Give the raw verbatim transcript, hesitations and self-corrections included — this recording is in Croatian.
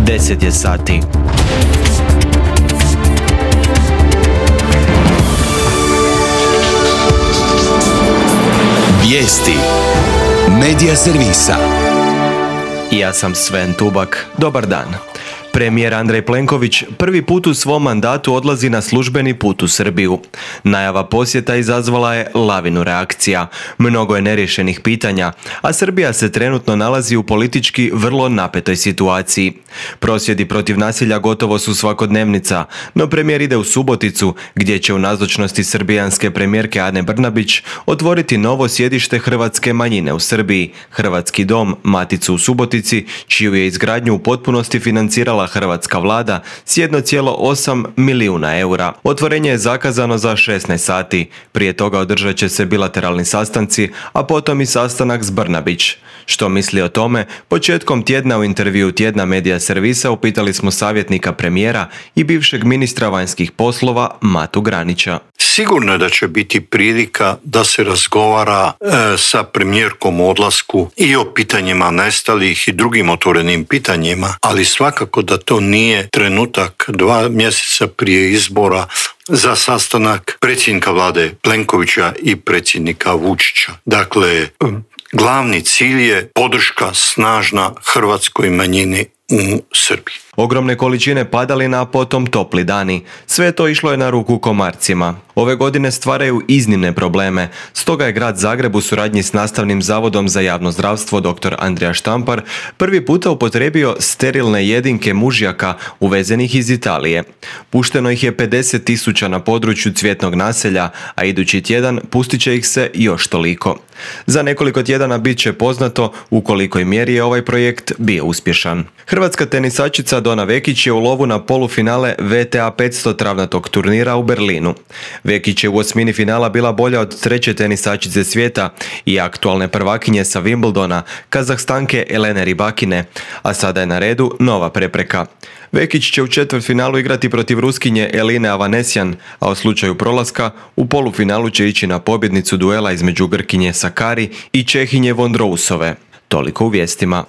deset je sati. Vijesti Medija servisa. Ja sam Sven Tubak. Dobar dan. Premijer Andrej Plenković prvi put u svom mandatu odlazi na službeni put u Srbiju. Najava posjeta izazvala je lavinu reakcija. Mnogo je neriješenih pitanja, a Srbija se trenutno nalazi u politički vrlo napetoj situaciji. Prosvjedi protiv nasilja gotovo su svakodnevnica, no premijer ide u Suboticu, gdje će u nazočnosti srbijanske premijerke Ane Brnabić otvoriti novo sjedište hrvatske manjine u Srbiji, Hrvatski dom, Maticu u Subotici, čiju je izgradnju u potpunosti financirala hrvatska vlada s jedan zarez osam milijuna eura. Otvorenje je zakazano za šesnaest sati. Prije toga održat će se bilateralni sastanci, a potom i sastanak s Brnabić. Što misli o tome? Početkom tjedna u intervju Tjedna Medija servisa upitali smo savjetnika premijera i bivšeg ministra vanjskih poslova Matu Granića. Sigurno je da će biti prilika da se razgovara e, sa premijerkom o odlasku i o pitanjima nestalih i drugim otvorenim pitanjima, ali svakako da to nije trenutak dva mjeseca prije izbora za sastanak predsjednika vlade Plenkovića i predsjednika Vučića. Dakle, glavni cilj je podrška snažna hrvatskoj manjini u Srbiji. Ogromne količine padalina, a potom topli dani. Sve to išlo je na ruku komarcima. Ove godine stvaraju iznimne probleme, stoga je grad Zagreb u suradnji s Nastavnim zavodom za javno zdravstvo dr. Andrija Štampar prvi puta upotrijebio sterilne jedinke mužjaka uvezenih iz Italije. Pušteno ih je pedeset tisuća na području Cvjetnog naselja, a idući tjedan pustit će ih se još toliko. Za nekoliko tjedana bit će poznato u kolikoj mjeri je ovaj projekt bio uspješan. Hrvatska tenisačica Dona Vekić je u lovu na polufinale V T A petsto travnatog turnira u Berlinu. Vekić je u osmini finala bila bolja od treće tenisačice svijeta i aktualne prvakinje sa Wimbledona, Kazahstanke Elene Rybakine, a sada je na redu nova prepreka. Vekić će u četvrtfinalu igrati protiv Ruskinje Eline Avanesyan, a u slučaju prolaska u polufinalu će ići na pobjednicu duela između Grkinje Sakari i Čehinje Vondrousove. Toliko u vijestima.